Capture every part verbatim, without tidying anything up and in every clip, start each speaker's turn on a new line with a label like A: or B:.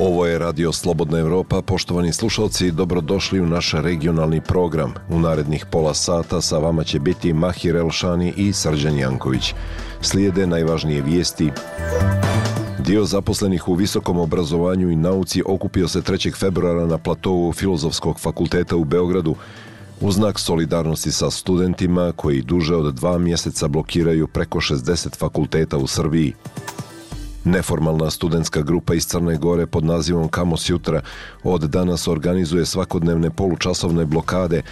A: Ovo je Radio Slobodna Evropa. Poštovani slušalci, dobrodošli u naš regionalni program. U narednih pola sata sa vama će biti Mahir Elšani i Srđan Janković. Slijede najvažnije vijesti. Dio zaposlenih u visokom obrazovanju i nauci okupio se trećeg februara na platovu Filozofskog fakulteta u Beogradu u znak solidarnosti sa studentima koji duže od dva mjeseca blokiraju preko šezdeset fakulteta u Srbiji. Neformalna studentska grupa iz Crne Gore pod nazivom Kamos Jutra od danas organizuje svakodnevne polučasovne blokade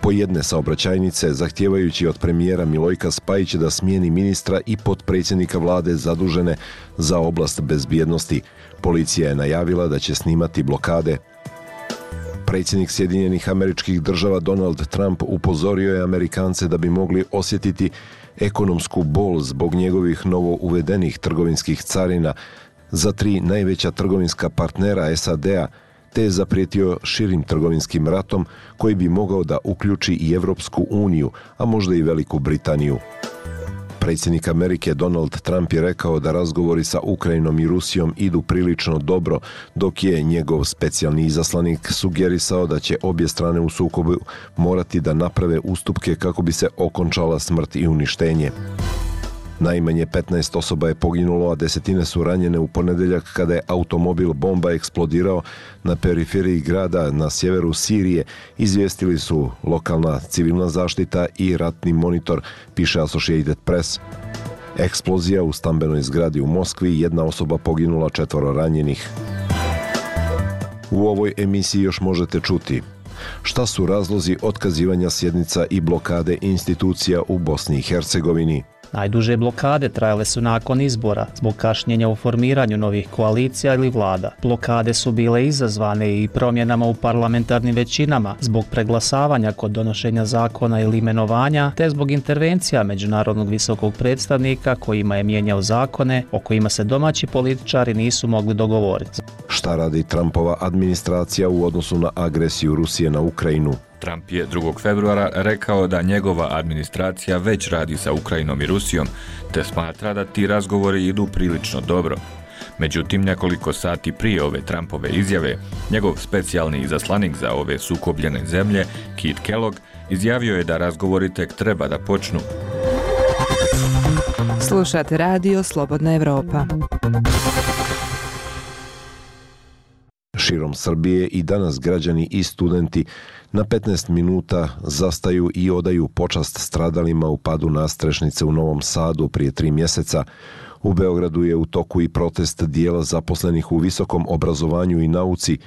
A: po jedne saobraćajnice, zahtijevajući od premijera Milojka Spajića da smijeni ministra i potpredsjednika vlade zadužene za oblast bezbjednosti. Policija je najavila da će snimati blokade. Predsjednik Sjedinjenih Američkih Država Donald Trump upozorio je Amerikance da bi mogli osjetiti ekonomsku bol zbog njegovih novo uvedenih trgovinskih carina za tri najveća trgovinska partnera S A D-a, te je zaprijetio širim trgovinskim ratom koji bi mogao da uključi i Evropsku uniju, a možda i Veliku Britaniju. Predsjednik Amerike Donald Trump je rekao da razgovori sa Ukrajinom i Rusijom idu prilično dobro, dok je njegov specijalni izaslanik sugerisao da će obje strane u sukobu morati da naprave ustupke kako bi se okončala smrt i uništenje. Najmanje petnaest osoba je poginulo, a desetine su ranjene u ponedjeljak kada je automobil bomba eksplodirao na periferiji grada na sjeveru Sirije, izvijestili su lokalna civilna zaštita i ratni monitor, piše Associated Press. Eksplozija u stambenoj zgradi u Moskvi, jedna osoba poginula, četvoro ranjenih. U ovoj emisiji još možete čuti: šta su razlozi otkazivanja sjednica i blokade institucija u Bosni i Hercegovini?
B: Najduže blokade trajale su nakon izbora, zbog kašnjenja u formiranju novih koalicija ili vlada. Blokade su bile izazvane i promjenama u parlamentarnim većinama, zbog preglasavanja kod donošenja zakona ili imenovanja, te zbog intervencija međunarodnog visokog predstavnika kojima je mijenjao zakone o kojima se domaći političari nisu mogli dogovoriti.
A: Šta radi Trumpova administracija u odnosu na agresiju Rusije na Ukrajinu?
C: Trump je drugog februara rekao da njegova administracija već radi sa Ukrajinom i Rusijom, te smatra da ti razgovori idu prilično dobro. Međutim, nekoliko sati prije ove Trumpove izjave, njegov specijalni izaslanik za ove sukobljene zemlje, Keith Kellogg, izjavio je da razgovori tek treba da počnu.
D: Slušate Radio Slobodna Evropa.
A: Širom Srbije i danas građani i studenti na petnaest minuta zastaju i odaju počast stradalima u padu nadstrešnice u Novom Sadu prije tri mjeseca. U Beogradu je u toku i protest dijela zaposlenih u visokom obrazovanju i nauci.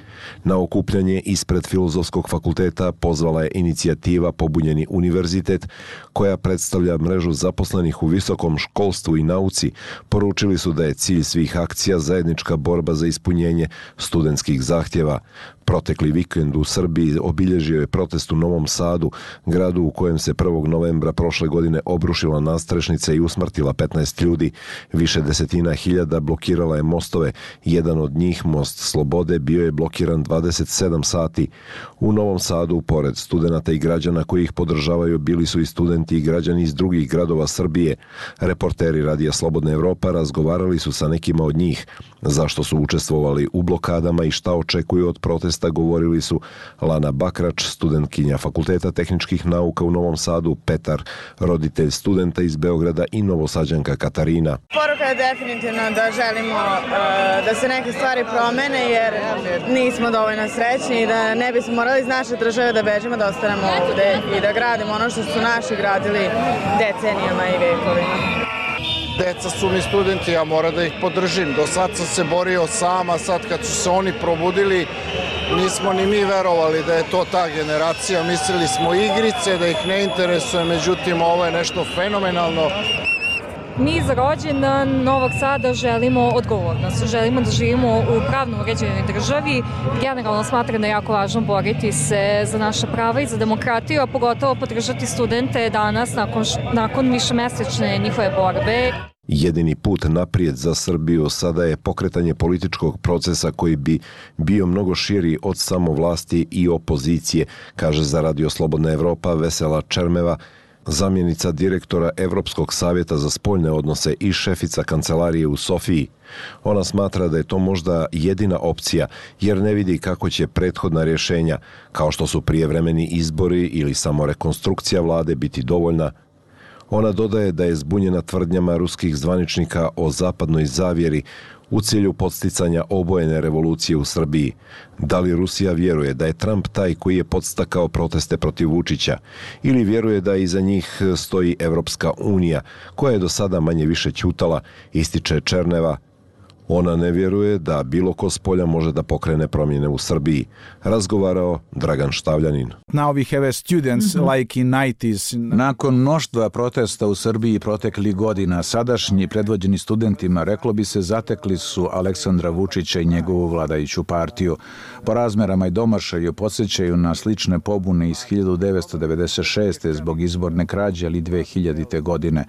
A: Na okupljanje ispred Filozofskog fakulteta pozvala je inicijativa Pobunjeni univerzitet, koja predstavlja mrežu zaposlenih u visokom školstvu i nauci. Poručili su da je cilj svih akcija zajednička borba za ispunjenje studentskih zahtjeva. Protekli vikend u Srbiji obilježio je protest u Novom Sadu, gradu u kojem se prvog novembra prošle godine obrušila nadstrešnica i usmrtila petnaest ljudi. Više desetina hiljada blokirala je mostove. Jedan od njih, Most Slobode, bio je blokiran dvadeset sedam sati. U Novom Sadu, pored studenata i građana koji ih podržavaju, bili su i studenti i građani iz drugih gradova Srbije. Reporteri Radija Slobodna Evropa razgovarali su sa nekima od njih. Zašto su učestvovali u blokadama i šta očekuju od protesta, govorili su Lana Bakrač, studentkinja Fakulteta tehničkih nauka u Novom Sadu, Petar, roditelj studenta iz Beograda, i Novosađanka Katarina.
E: Poruka je definitivno da želimo uh, da se neke stvari promene, jer nismo dovoljno srećni i da ne bismo morali iz naše države da bežimo, da ostanemo ovde i da gradimo ono što su naši gradili decenijama i vekovima.
F: Deca su mi studenti, ja moram da ih podržim. Do sad sam se borio sam, a sad kad su se oni probudili, nismo ni mi verovali da je to ta generacija. Mislili smo igrice, da ih ne interesuje, međutim ovo je nešto fenomenalno.
G: Mi za rođendan Novog Sada želimo odgovornost, želimo da živimo u pravno uređenoj državi. Generalno smatram da je jako važno boriti se za naša prava i za demokratiju, a pogotovo podržati studente danas nakon, nakon višemesečne njihove borbe.
A: Jedini put naprijed za Srbiju sada je pokretanje političkog procesa koji bi bio mnogo širi od samo vlasti i opozicije, kaže za Radio Slobodna Evropa Vesela Čermeva, zamjenica direktora Evropskog savjeta za spoljne odnose i šefica kancelarije u Sofiji. Ona smatra da je to možda jedina opcija jer ne vidi kako će prethodna rješenja, kao što su prijevremeni izbori ili samo rekonstrukcija vlade, biti dovoljna. Ona dodaje da je zbunjena tvrdnjama ruskih zvaničnika o zapadnoj zavjeri u cilju podsticanja obojene revolucije u Srbiji. Da li Rusija vjeruje da je Trump taj koji je podstakao proteste protiv Vučića ili vjeruje da iza njih stoji Evropska unija koja je do sada manje više ćutala, ističe Černeva. Ona ne vjeruje da bilo ko s polja može da pokrene promjene u Srbiji, razgovarao Dragan Štavljanin.
H: Now we have students mm-hmm. like in nineties.
I: Nakon mnoštva protesta u Srbiji proteklih godina, sadašnji predvođeni studentima, reklo bi se, zatekli su Aleksandra Vučića i njegovu vladajuću partiju. Po razmerama i domašaju podsjećaju na slične pobune iz hiljadu devetsto devedeset šeste. zbog izborne krađe ili dve hiljadite. godine.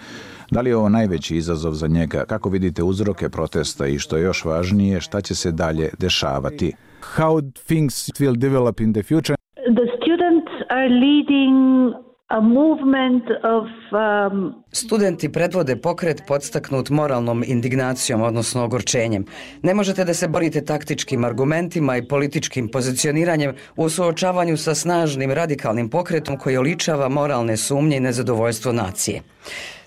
I: Da li je ovo najveći izazov za njega? Kako vidite uzroke protesta i što je još važnije, šta će se dalje dešavati?
H: How things will develop in the future?
J: The students are leading a movement of um...
K: Studenti predvode pokret podstaknut moralnom indignacijom, odnosno ogorčenjem. Ne možete da se borite taktičkim argumentima i političkim pozicioniranjem u suočavanju sa snažnim radikalnim pokretom koji oličava moralne sumnje i nezadovoljstvo nacije.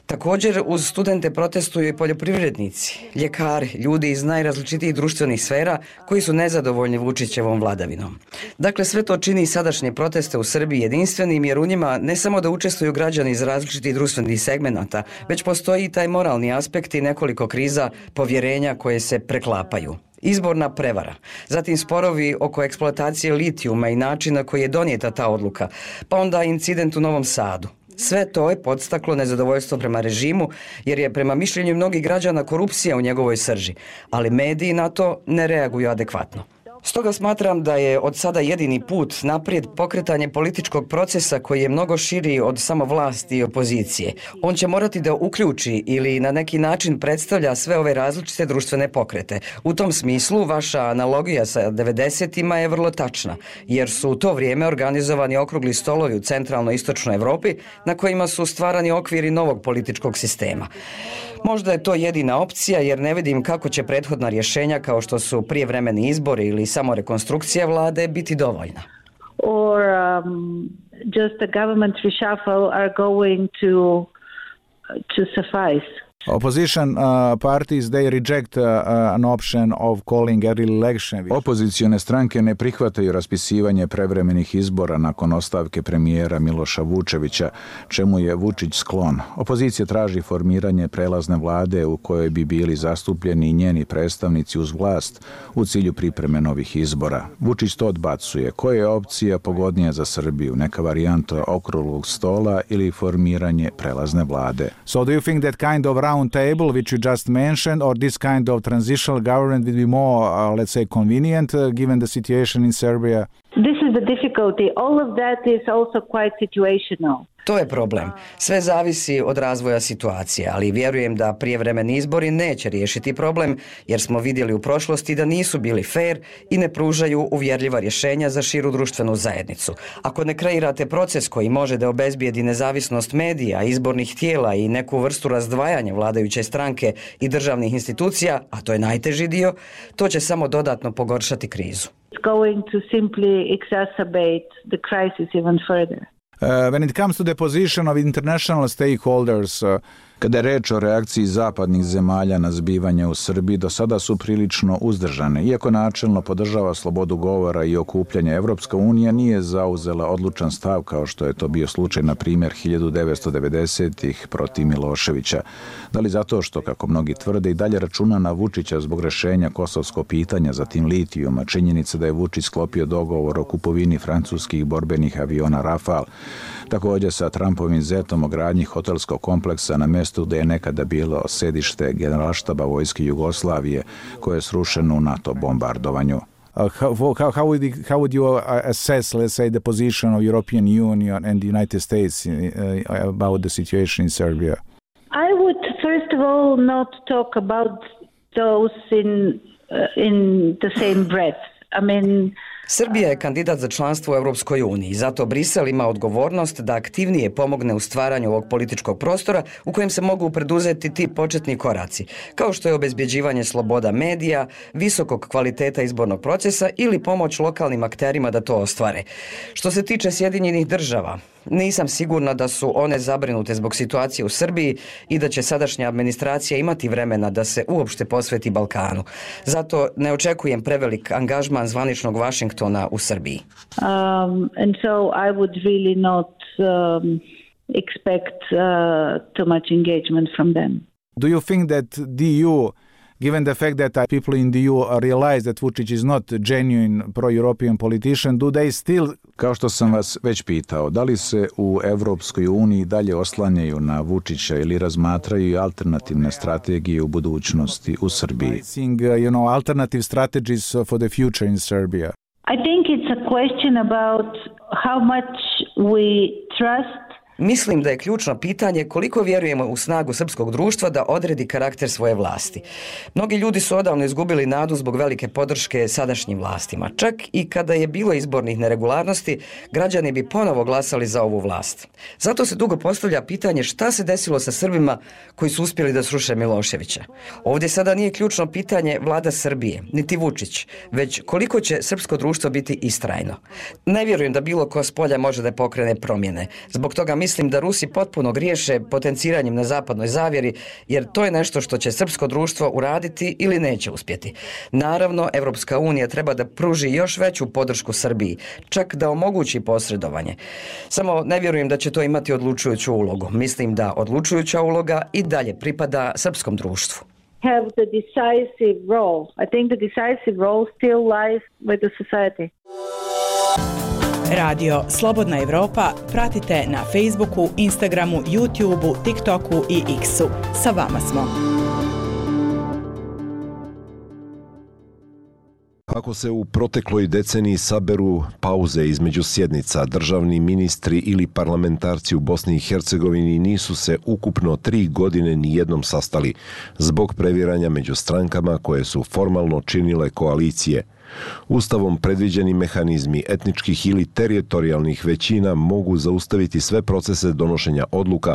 K: Također, uz studente protestuju i poljoprivrednici, ljekari, ljudi iz najrazličitijih društvenih sfera koji su nezadovoljni Vučićevom vladavinom. Dakle, sve to čini sadašnje proteste u Srbiji jedinstvenim jer u njima ne samo da učestvuju građani iz različitih društvenih segmenata, već postoji i taj moralni aspekt i nekoliko kriza povjerenja koje se preklapaju. Izborna prevara, zatim sporovi oko eksploatacije litijuma i načina koji je donijeta ta odluka, pa onda incident u Novom Sadu. Sve to je podstaklo nezadovoljstvo prema režimu, jer je prema mišljenju mnogih građana korupcija u njegovoj srži, ali mediji na to ne reaguju adekvatno. Stoga smatram da je od sada jedini put naprijed pokretanje političkog procesa koji je mnogo širi od samo vlasti i opozicije. On će morati da uključi ili na neki način predstavlja sve ove različite društvene pokrete. U tom smislu vaša analogija sa devedesetima je vrlo tačna, jer su u to vrijeme organizovani okrugli stolovi u centralno-istočnoj Evropi na kojima su stvarani okviri novog političkog sistema. Možda je to jedina opcija jer ne vidim kako će prethodna rješenja kao što su prijevremeni izbori ili samo rekonstrukcija vlade biti dovoljna.
J: Or um, just a government reshuffle are going to to suffice.
H: Opposition uh, parties, they reject uh, an option of calling early election.
I: Opozicione stranke ne prihvataju raspisivanje prevremenih izbora nakon ostavke premijera Miloša Vučevića, čemu je Vučić sklon. Opozicija traži formiranje prelazne vlade u kojoj bi bili zastupljeni i njeni predstavnici uz vlast u cilju pripreme novih izbora. Vučić to odbacuje. Koja je opcija pogodnija za Srbiju? Neka varijanta okruglog stola ili formiranje prelazne vlade?
H: So do you think that kind of round table which you just mentioned or this kind of transitional government will be more, uh, let's say, convenient uh, given the situation in Serbia?
J: This is the difficulty. All of that is also quite situational.
K: To je problem. Sve zavisi od razvoja situacije, ali vjerujem da prijevremeni izbori neće riješiti problem, jer smo vidjeli u prošlosti da nisu bili fair i ne pružaju uvjerljiva rješenja za širu društvenu zajednicu. Ako ne kreirate proces koji može da obezbijedi nezavisnost medija, izbornih tijela i neku vrstu razdvajanja vladajuće stranke i državnih institucija, a to je najteži dio, to će samo dodatno pogoršati krizu.
J: It's going to simply exacerbate the crisis even further.
H: Uh, when it comes to the position of international stakeholders, uh,
I: Kada je reč o reakciji zapadnih zemalja na zbivanje u Srbiji, do sada su prilično uzdržane. Iako načelno podržava slobodu govora i okupljanja, Evropska unija nije zauzela odlučan stav kao što je to bio slučaj, na primjer, hiljadu devetsto devedesetih protiv Miloševića. Da li zato što, kako mnogi tvrde, i dalje računa na Vučića zbog rešenja kosovskog pitanja, zatim litijuma, činjenica da je Vučić sklopio dogovor o kupovini francuskih borbenih aviona Rafale, također sa Trumpovim zetom o gradnji hotelskog kompleksa na mjestu gdje je nekada bilo sedište generalštaba vojske Jugoslavije, koje je srušeno u NATO bombardovanju.
H: Uh, how, how, how, would you, how would you assess, let's say, the position of European Union and the United States uh, about the situation in Serbia?
J: I would first of all not talk about those in uh, in the same breath. I mean,
K: Srbija je kandidat za članstvo u Europskoj uniji, zato Brisel ima odgovornost da aktivnije pomogne u stvaranju ovog političkog prostora u kojem se mogu preduzeti ti početni koraci, kao što je obezbjeđivanje sloboda medija, visokog kvaliteta izbornog procesa ili pomoć lokalnim akterima da to ostvare. Što se tiče Sjedinjenih država, nisam sigurna da su one zabrinute zbog situacije u Srbiji i da će sadašnja administracija imati vremena da se uopšte posveti Balkanu. Zato ne očekujem prevelik angažman zvaničnog Vašingtona u Srbiji.
J: Um, and so I would really not um, expect uh, too much engagement from them.
H: Do you think that the E U, given the fact that uh, people in the E U realize that Vučić is not a genuine pro-European politician, do they still...
I: Kao što sam vas već pitao, da li se u Evropskoj uniji dalje oslanjaju na Vučića ili razmatraju alternativne strategije u budućnosti u Srbiji?
H: Seeing, uh, you know, alternative strategies for the future in Serbia.
J: I think it's a question about how much we trust.
K: Mislim da je ključno pitanje koliko vjerujemo u snagu srpskog društva da odredi karakter svoje vlasti. Mnogi ljudi su odavno izgubili nadu zbog velike podrške sadašnjim vlastima. Čak i kada je bilo izbornih neregularnosti, građani bi ponovo glasali za ovu vlast. Zato se dugo postavlja pitanje šta se desilo sa Srbima koji su uspjeli da sruše Miloševića. Ovdje sada nije ključno pitanje vlada Srbije, niti Vučić, već koliko će srpsko društvo biti istrajno. Ne vjerujem da bilo ko s polja može da pokrene promjene. Zbog toga mislim da Rusi potpuno griješe potenciranjem na zapadnoj zavjeri, jer to je nešto što će srpsko društvo uraditi ili neće uspjeti. Naravno, Evropska unija treba da pruži još veću podršku Srbiji, čak da omogući posredovanje. Samo ne vjerujem da će to imati odlučujuću ulogu. Mislim da odlučujuća uloga i dalje pripada srpskom društvu.
J: Have the decisive role. I think the decisive role still lies with the society.
L: Radio Slobodna Evropa pratite na Facebooku, Instagramu, YouTubeu, TikToku i X-u. Sa vama smo.
A: Ako se u protekloj deceniji saberu pauze između sjednica, državni ministri ili parlamentarci u Bosni i Hercegovini nisu se ukupno tri godine nijednom sastali zbog previranja među strankama koje su formalno činile koalicije. Ustavom predviđeni mehanizmi etničkih ili teritorijalnih većina mogu zaustaviti sve procese donošenja odluka,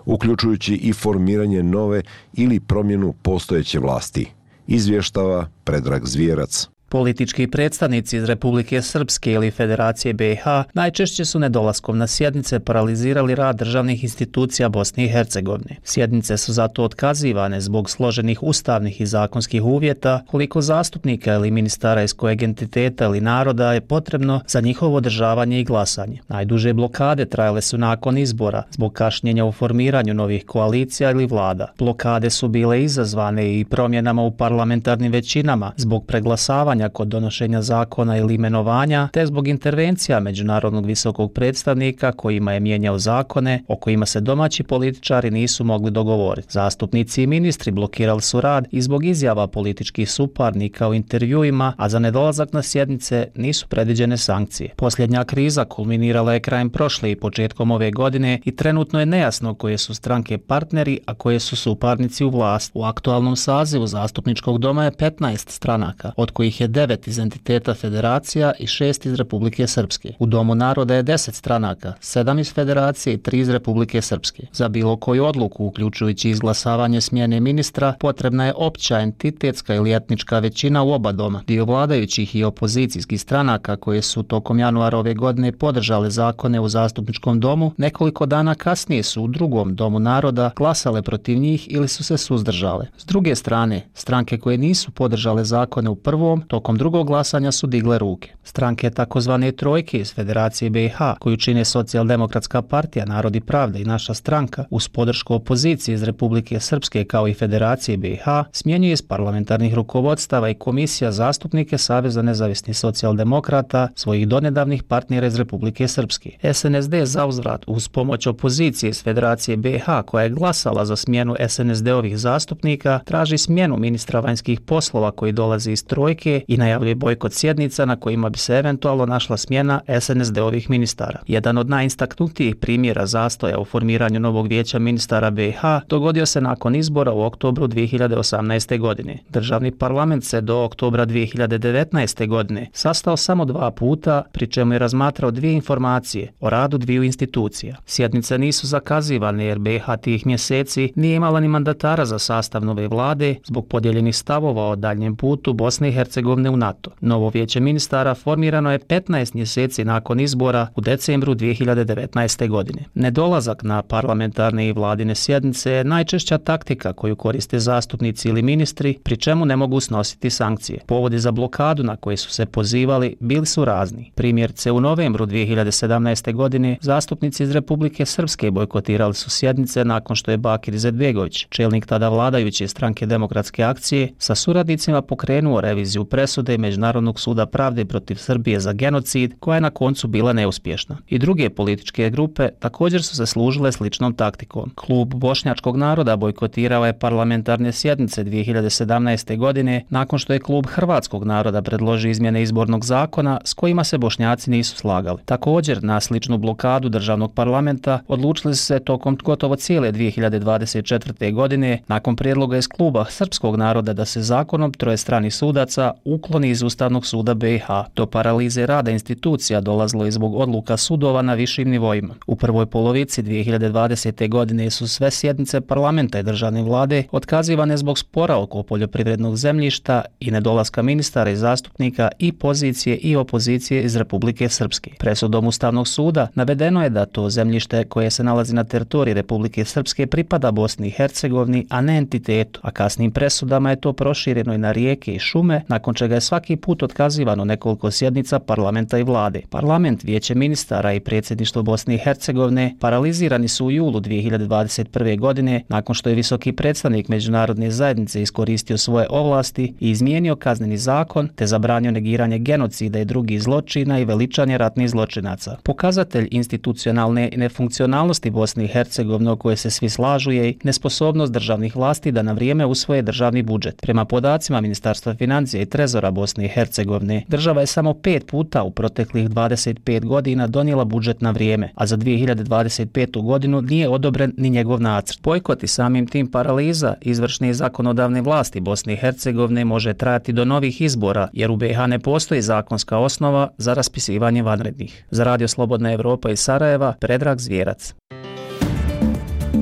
A: uključujući i formiranje nove ili promjenu postojeće vlasti. Izvještava Predrag Zvijerac.
B: Politički predstavnici iz Republike Srpske ili Federacije B i H najčešće su nedolaskom na sjednice paralizirali rad državnih institucija Bosne i Hercegovine. Sjednice su zato otkazivane zbog složenih ustavnih i zakonskih uvjeta, koliko zastupnika ili ministara iz kojeg entiteta ili naroda je potrebno za njihovo održavanje i glasanje. Najduže blokade trajale su nakon izbora, zbog kašnjenja u formiranju novih koalicija ili vlada. Blokade su bile izazvane i promjenama u parlamentarnim većinama, zbog preglasavanja kod donošenja zakona ili imenovanja, te zbog intervencija međunarodnog visokog predstavnika kojima je mijenjao zakone o kojima se domaći političari nisu mogli dogovoriti. Zastupnici i ministri blokirali su rad i zbog izjava političkih suparnika u intervjuima, a za nedolazak na sjednice nisu predviđene sankcije. Posljednja kriza kulminirala je krajem prošle i početkom ove godine i trenutno je nejasno koje su stranke partneri, a koje su suparnici u vlast. U aktualnom sazivu zastupničkog doma je petnaest stranaka, od kojih je devet iz entiteta Federacija i šest iz Republike Srpske. U Domu naroda je deset stranaka, sedam iz Federacije i tri iz Republike Srpske. Za bilo koju odluku, uključujući izglasavanje smjene ministra, potrebna je opća entitetska ili etnička većina u oba doma. Dio vladajućih i opozicijskih stranaka koje su tokom januara ove godine podržale zakone u zastupničkom domu, nekoliko dana kasnije su u drugom Domu naroda glasale protiv njih ili su se suzdržale. S druge strane, stranke koje nisu podržale zakone u prvom, tokom drugog glasanja su digle ruke. Stranke takozvane trojke iz Federacije B i H, koju čine Socijaldemokratska partija, Narod i pravda i Naša stranka, uz podršku opozicije iz Republike Srpske kao i Federacije B i H, smjenjuje iz parlamentarnih rukovodstava i komisija zastupnike Saveza nezavisnih socijaldemokrata, svojih donedavnih partnera iz Republike Srpske. S N S D zauzvrat uz pomoć opozicije iz Federacije B i H, koja je glasala za smjenu S N S D-ovih zastupnika, traži smjenu ministra vanjskih poslova koji dolazi iz trojke i najavljuje bojkot sjednica na kojima bi se eventualno našla smjena es en es de-ovih ministara. Jedan od najistaknutijih primjera zastoja u formiranju novog vijeća ministara be i ha dogodio se nakon izbora u oktobru dvije hiljade osamnaeste. godine. Državni parlament se do oktobra dvije hiljade devetnaeste. godine sastao samo dva puta, pri čemu je razmatrao dvije informacije o radu dviju institucija. Sjednice nisu zakazivane jer be i ha tih mjeseci nije imala ni mandatara za sastav nove vlade zbog podijeljenih stavova o daljnjem putu Bosne i Hercegovine u NATO. Novo vijeće ministara formirano je petnaest mjeseci nakon izbora u decembru dvije hiljade devetnaeste. godine. Nedolazak na parlamentarne i vladine sjednice je najčešća taktika koju koriste zastupnici ili ministri, pri čemu ne mogu snositi sankcije. Povodi za blokadu na koje su se pozivali bili su razni. Primjerice, u novembru dvije hiljade sedamnaeste. godine zastupnici iz Republike Srpske bojkotirali su sjednice nakon što je Bakir Izetbegović, čelnik tada vladajuće stranke Demokratske akcije, sa suradnicima pokrenuo reviziju presude Međunarodnog suda pravde protiv Srbije za genocid, koja je na koncu bila neuspješna. I druge političke grupe također su se služile sličnom taktikom. Klub Bošnjačkog naroda bojkotirao je parlamentarne sjednice dvije hiljade sedamnaeste. godine nakon što je Klub Hrvatskog naroda predložio izmjene izbornog zakona s kojima se Bošnjaci nisu slagali. Također, na sličnu blokadu državnog parlamenta odlučili su se tokom gotovo cijele dvije hiljade dvadeset četvrte. godine nakon prijedloga iz Kluba Srpskog naroda da se zakonom troje stranih sudaca ukloni iz Ustavnog suda be i ha. Do paralize rada institucija dolazilo je zbog odluka sudova na višim nivoima. U prvoj polovici dvije hiljade dvadesete. godine su sve sjednice parlamenta i državne vlade otkazivane zbog spora oko poljoprivrednog zemljišta i nedolaska ministara i zastupnika i pozicije i opozicije iz Republike Srpske. Presudom Ustavnog suda navedeno je da to zemljište koje se nalazi na teritoriji Republike Srpske pripada Bosni i Hercegovini, a ne entitetu, a kasnim presudama je to prošireno i na rijeke i šume, nakon čega je svaki put otkazivano nekoliko sjednica parlamenta i vlade. Parlament, vijeće ministara i predsjedništvo Bosne i Hercegovine paralizirani su u julu dvije hiljade dvadeset prve. godine nakon što je visoki predstavnik međunarodne zajednice iskoristio svoje ovlasti i izmijenio kazneni zakon te zabranio negiranje genocida i drugih zločina i veličanje ratnih zločinaca. Pokazatelj institucionalne nefunkcionalnosti Bosne i Hercegovine o kojoj se svi slažu je i nesposobnost državnih vlasti da na vrijeme usvoje državni budžet. Prema podacima Ministarstva financija i Trezora Bosne i Hercegovine, država je samo pet puta u proteklih dvadeset pet godina donijela budžet na vrijeme, a za dvije hiljade dvadeset petu. godinu nije odobren ni njegov nacrt. Bojkot i samim tim paraliza izvršne i zakonodavne vlasti Bosne i Hercegovine može trajati do novih izbora, jer u be i ha ne postoji zakonska osnova za raspisivanje vanrednih. Za Radio Slobodna Evropa iz Sarajeva, Predrag Zvjerac.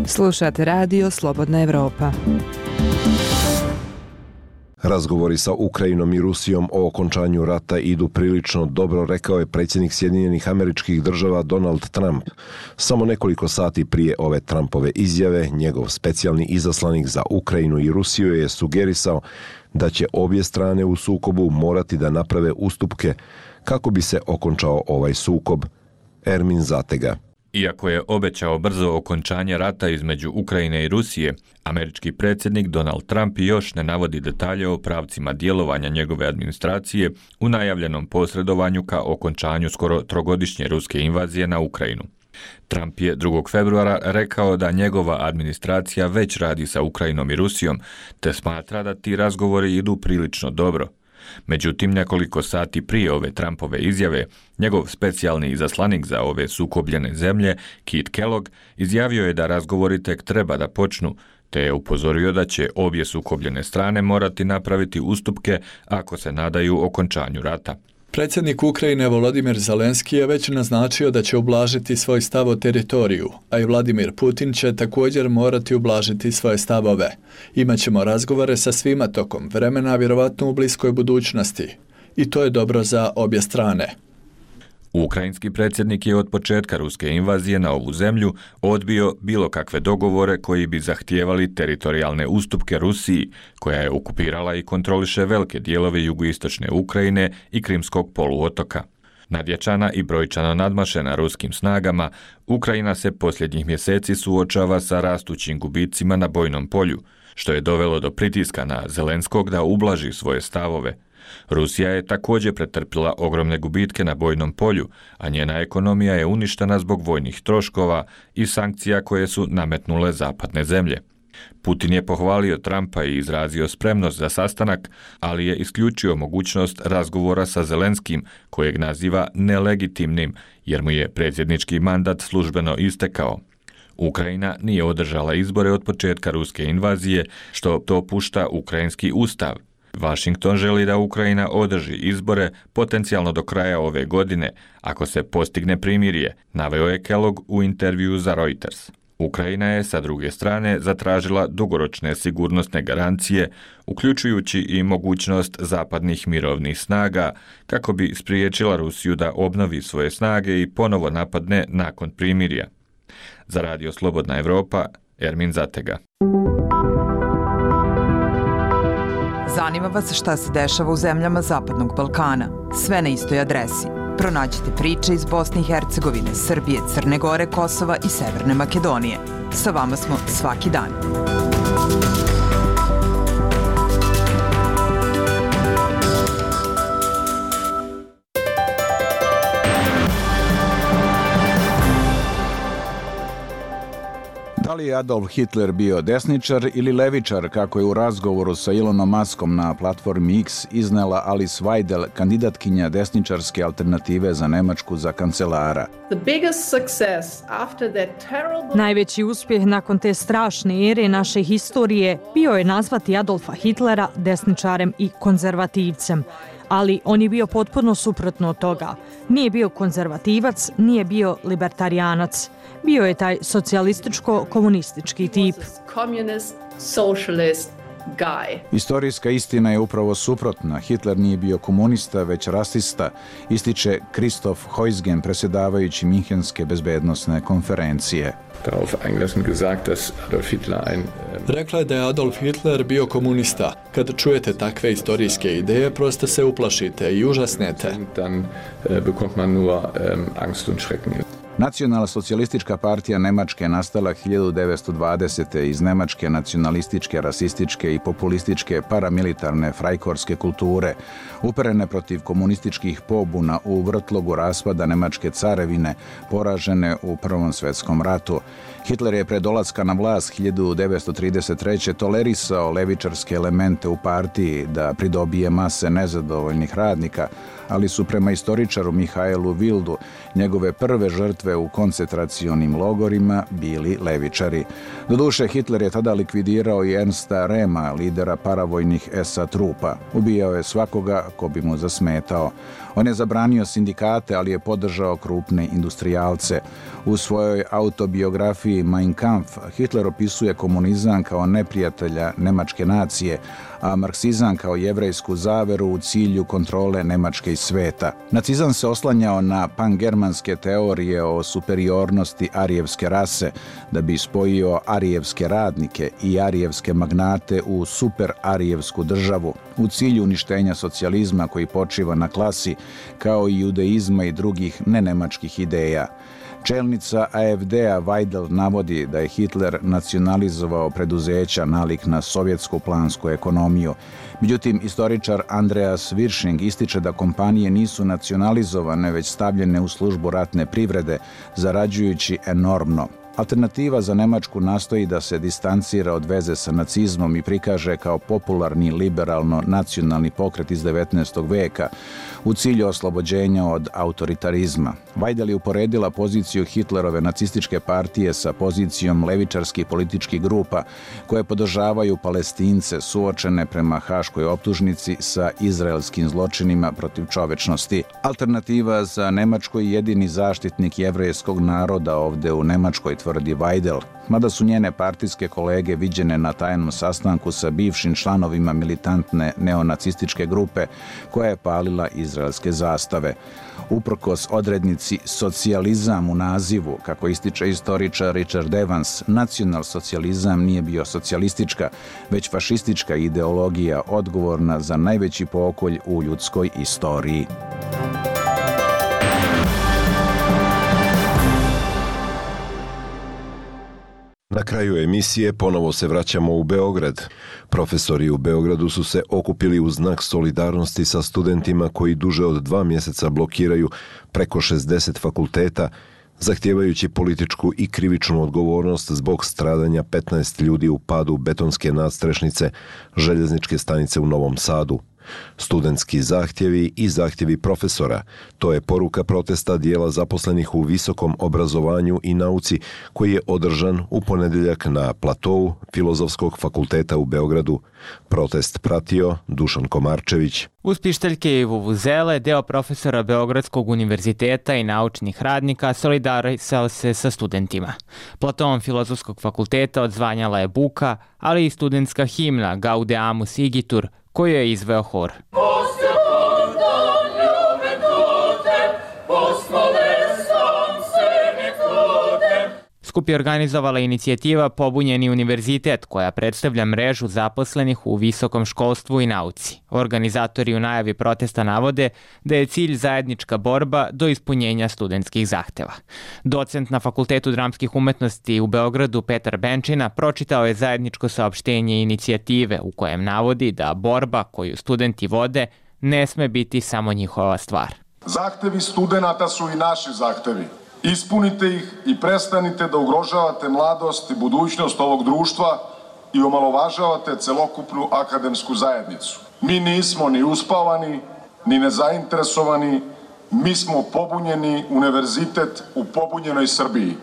D: Slušate Radio Slobodna Evropa.
A: Razgovori sa Ukrajinom i Rusijom o okončanju rata idu prilično dobro, rekao je predsjednik Sjedinjenih Američkih Država Donald Trump. Samo nekoliko sati prije ove Trumpove izjave, njegov specijalni izaslanik za Ukrajinu i Rusiju je sugerisao da će obje strane u sukobu morati da naprave ustupke kako bi se okončao ovaj sukob. Ermin Zatega.
C: Iako je obećao brzo okončanje rata između Ukrajine i Rusije, američki predsjednik Donald Trump još ne navodi detalje o pravcima djelovanja njegove administracije u najavljenom posredovanju ka okončanju skoro trogodišnje ruske invazije na Ukrajinu. Trump je drugog februara rekao da njegova administracija već radi sa Ukrajinom i Rusijom, te smatra da ti razgovori idu prilično dobro. Međutim, nekoliko sati prije ove Trumpove izjave, njegov specijalni izaslanik za ove sukobljene zemlje, Keith Kellogg, izjavio je da razgovori tek treba da počnu, te je upozorio da će obje sukobljene strane morati napraviti ustupke ako se nadaju okončanju rata.
M: Predsjednik Ukrajine Volodimir Zelenski je već naznačio da će ublažiti svoj stav o teritoriju, a i Vladimir Putin će također morati ublažiti svoje stavove. Imaćemo razgovore sa svima tokom vremena, vjerovatno u bliskoj budućnosti. I to je dobro za obje strane.
C: Ukrajinski predsjednik je od početka ruske invazije na ovu zemlju odbio bilo kakve dogovore koji bi zahtijevali teritorijalne ustupke Rusiji, koja je okupirala i kontroliše velike dijelove jugoistočne Ukrajine i Krimskog poluotoka. Nadjačana i brojčano nadmašena ruskim snagama, Ukrajina se posljednjih mjeseci suočava sa rastućim gubicima na bojnom polju, što je dovelo do pritiska na Zelenskog da ublaži svoje stavove. Rusija je također pretrpila ogromne gubitke na bojnom polju, a njena ekonomija je uništena zbog vojnih troškova i sankcija koje su nametnule zapadne zemlje. Putin je pohvalio Trumpa i izrazio spremnost za sastanak, ali je isključio mogućnost razgovora sa Zelenskim, kojeg naziva nelegitimnim, jer mu je predsjednički mandat službeno istekao. Ukrajina nije održala izbore od početka ruske invazije, što dopušta ukrajinski ustav. Washington želi da Ukrajina održi izbore potencijalno do kraja ove godine, ako se postigne primirje, naveo je Kellogg u intervjuu za Reuters. Ukrajina je, sa druge strane, zatražila dugoročne sigurnosne garancije, uključujući i mogućnost zapadnih mirovnih snaga, kako bi spriječila Rusiju da obnovi svoje snage i ponovo napadne nakon primirja. Za Radio Slobodna Evropa, Ermin Zatega.
D: Zanima vas šta se dešava u zemljama Zapadnog Balkana? Sve na istoj adresi. Pronađite priče iz Bosne i Hercegovine, Srbije, Crne Gore, Kosova i Severne Makedonije. Sa vama smo svaki dan.
I: Da li je Adolf Hitler bio desničar ili levičar, kako je u razgovoru sa Elonom Muskom na platformi X iznela Alice Weidel, kandidatkinja desničarske alternative za Nemačku za kancelara?
G: Najveći uspjeh nakon te strašne ere naše historije bio je nazvati Adolfa Hitlera desničarem i konzervativcem. Ali on je bio potpuno suprotno od toga. Nije bio konzervativac, nije bio libertarijanac. Bio je taj socijalističko-komunistički tip.
I: Istorijska istina je upravo suprotna. Hitler nije bio komunista, već rasista, ističe Christoph Heusgen, predsjedavajući Minhenske bezbednosne konferencije.
M: Rekla je da je Adolf Hitler bio komunista. Kad čujete takve istorijske ideje, prosto se uplašite i užasnete.
I: Nacionalna socijalistička partija Nemačke nastala hiljadu devetsto dvadesete iz nemačke nacionalističke, rasističke i populističke paramilitarne frajkorske kulture, uperene protiv komunističkih pobuna u vrtlogu raspada Nemačke carevine, poražene u Prvom svjetskom ratu. Hitler je pre dolaska na vlast hiljadu devetsto trideset treće tolerisao levičarske elemente u partiji da pridobije mase nezadovoljnih radnika, ali su prema istoričaru Mihajlu Wildu njegove prve žrtve u koncentracionim logorima bili levičari. Doduše, Hitler je tada likvidirao i Ernsta Rehma, lidera paravojnih es a trupa. Ubijao je svakoga ko bi mu zasmetao. On je zabranio sindikate, ali je podržao krupne industrijalce. U svojoj autobiografiji Mein Kampf Hitler opisuje komunizam kao neprijatelja nemačke nacije, a marksizam kao jevrejsku zaveru u cilju kontrole Nemačke i sveta. Nacizam se oslanjao na pangermanske teorije o superiornosti arijevske rase, da bi spojio arijevske radnike i arijevske magnate u super-arijevsku državu, u cilju uništenja socijalizma koji počiva na klasi, kao i judeizma i drugih nenemačkih ideja. Čelnica a ef de-a Weidel navodi da je Hitler nacionalizovao preduzeća nalik na sovjetsku plansku ekonomiju. Međutim, istoričar Andreas Wirsching ističe da kompanije nisu nacionalizovane, već stavljene u službu ratne privrede, zarađujući enormno. Alternativa za Nemačku nastoji da se distancira od veze sa nacizmom i prikaže kao popularni liberalno-nacionalni pokret iz devetnaestog veka u cilju oslobođenja od autoritarizma. Weidel je uporedila poziciju Hitlerove nacističke partije sa pozicijom levičarskih političkih grupa koje podržavaju Palestince suočene prema haškoj optužnici sa izraelskim zločinima protiv čovečnosti. Alternativa za Nemačku je jedini zaštitnik jevrejskog naroda ovde u Nemačkoj, tvrdi Weidel, mada su njene partijske kolege viđene na tajnom sastanku sa bivšim članovima militantne neonacističke grupe koja je palila izraelske zastave. Uprkos odrednici socijalizam u nazivu, kako ističe istoričar Richard Evans, nacionalsocijalizam nije bio socijalistička, već fašistička ideologija odgovorna za najveći pokolj u ljudskoj istoriji.
A: Na kraju emisije ponovo se vraćamo u Beograd. Profesori u Beogradu su se okupili u znak solidarnosti sa studentima koji duže od dva mjeseca blokiraju preko šezdeset fakulteta zahtijevajući političku i krivičnu odgovornost zbog stradanja petnaest ljudi u padu betonske nadstrešnice željezničke stanice u Novom Sadu. Studentski zahtjevi i zahtjevi profesora, to je poruka protesta dijela zaposlenih u visokom obrazovanju i nauci koji je održan u ponedjeljak na platovu Filozofskog fakulteta u Beogradu. Protest pratio Dušan Komarčević.
N: Uz pištaljke i vuvuzele, deo profesora Beogradskog univerziteta i naučnih radnika solidarisao se sa studentima. Platovom Filozofskog fakulteta odzvanjala je buka, ali i studentska himna Gaudeamus Igitur, koju je izveo hor. Skup je organizovala inicijativa Pobunjeni univerzitet, koja predstavlja mrežu zaposlenih u visokom školstvu i nauci. Organizatori u najavi protesta navode da je cilj zajednička borba do ispunjenja studentskih zahteva. Docent na Fakultetu dramskih umetnosti u Beogradu Petar Benčina pročitao je zajedničko saopštenje inicijative u kojem navodi da borba koju studenti vode ne sme biti samo njihova stvar.
O: Zahtevi studenata su i naši zahtevi. Ispunite ih i prestanite da ugrožavate mladost i budućnost ovog društva i omalovažavate celokupnu akademsku zajednicu. Mi nismo ni uspavani, ni nezainteresovani, mi smo pobunjeni univerzitet u pobunjenoj Srbiji.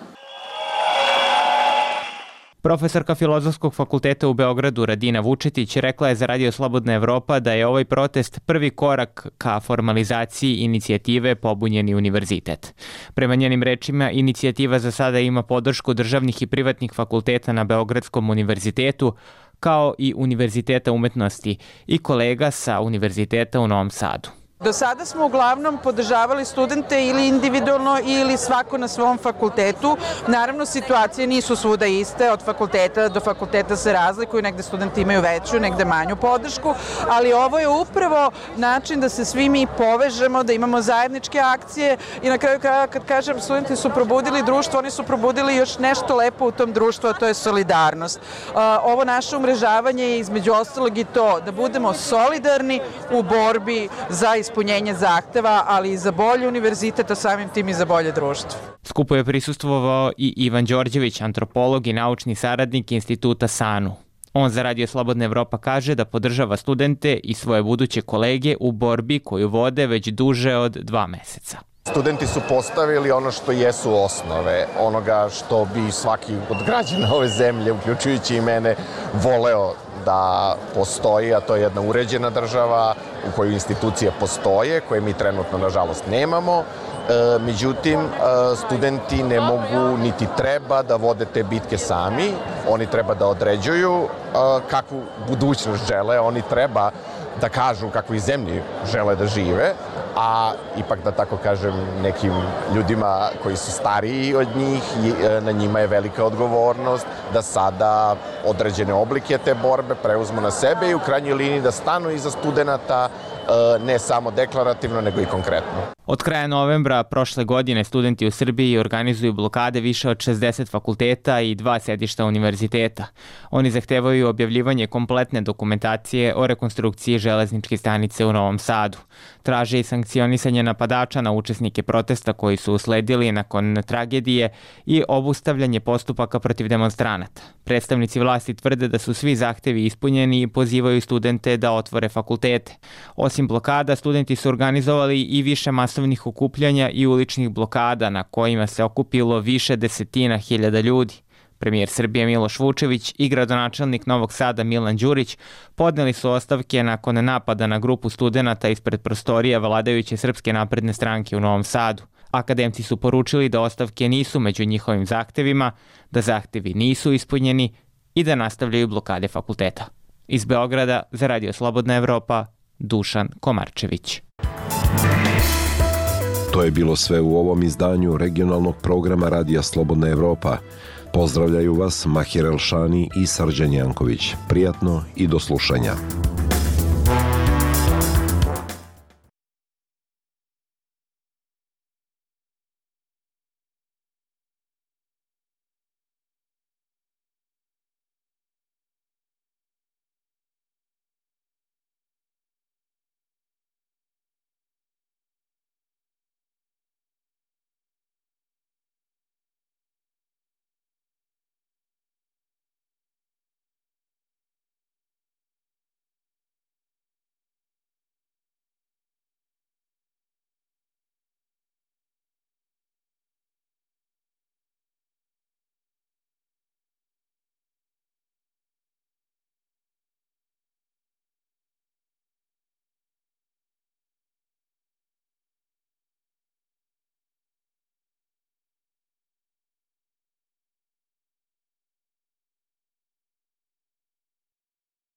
N: Profesorka Filozofskog fakulteta u Beogradu Radina Vučetić rekla je za Radio Slobodna Evropa da je ovaj protest prvi korak ka formalizaciji inicijative Pobunjeni univerzitet. Prema njenim rečima, inicijativa za sada ima podršku državnih i privatnih fakulteta na Beogradskom univerzitetu, kao i Univerziteta umetnosti i kolega sa Univerziteta u Novom Sadu.
P: Do sada smo uglavnom podržavali studente ili individualno ili svako na svom fakultetu. Naravno, situacije nisu svuda iste, od fakulteta do fakulteta se razlikuju, negde studenti imaju veću, negde manju podršku, ali ovo je upravo način da se svi mi povežemo, da imamo zajedničke akcije i na kraju kraja, kad kažem studenti su probudili društvo, oni su probudili još nešto lepo u tom društvu, a to je solidarnost. Ovo naše umrežavanje je između ostalog i to, da budemo solidarni u borbi za ispunjenje ispunjenje zahteva, ali i za bolji univerzitet, a samim tim i za bolje društvo.
N: Skupu je prisustvovao i Ivan Đorđević, antropolog i naučni saradnik Instituta SANU. On za Radio Slobodna Evropa kaže da podržava studente i svoje buduće kolege u borbi koju vode već duže od dva meseca.
Q: Studenti su postavili ono što jesu osnove, onoga što bi svaki od građana ove zemlje, uključujući i mene, voleo da postoji, a to je jedna uređena država u kojoj institucije postoje, koje mi trenutno, nažalost, nemamo. E, međutim, studenti ne mogu niti treba da vode te bitke sami. Oni treba da određuju kakvu budućnost žele, oni treba da kažu kakvoj zemlji žele da žive, a ipak, da tako kažem, nekim ljudima koji su stariji od njih, na njima je velika odgovornost da sada određene oblike te borbe preuzmu na sebe i u krajnjoj liniji da stanu iza studenata, ne samo deklarativno, nego i konkretno.
N: Od kraja novembra prošle godine studenti u Srbiji organizuju blokade više od šezdeset fakulteta i dva sedišta univerziteta. Oni zahtevaju objavljivanje kompletne dokumentacije o rekonstrukciji železničke stanice u Novom Sadu. Traže i sankcionisanje napadača na učesnike protesta koji su usledili nakon tragedije i obustavljanje postupaka protiv demonstranata. Predstavnici vlasti tvrde da su svi zahtevi ispunjeni i pozivaju studente da otvore fakultete. Osim blokada, studenti su organizovali i više masovnih okupljanja i uličnih blokada na kojima se okupilo više desetina hiljada ljudi. Premijer Srbije Miloš Vučević i gradonačelnik Novog Sada Milan Đurić podneli su ostavke nakon napada na grupu studenata ispred prostorija vladajuće Srpske napredne stranke u Novom Sadu. Akademci su poručili da ostavke nisu među njihovim zahtevima, da zahtevi nisu ispunjeni i da nastavljaju blokade fakulteta. Iz Beograda za Radio Slobodna Evropa, Dušan Komarčević.
A: To je bilo sve u ovom izdanju regionalnog programa Radija Slobodna Evropa. Pozdravljaju vas Mahir Elšani i Srđan Janković. Prijatno i do slušanja.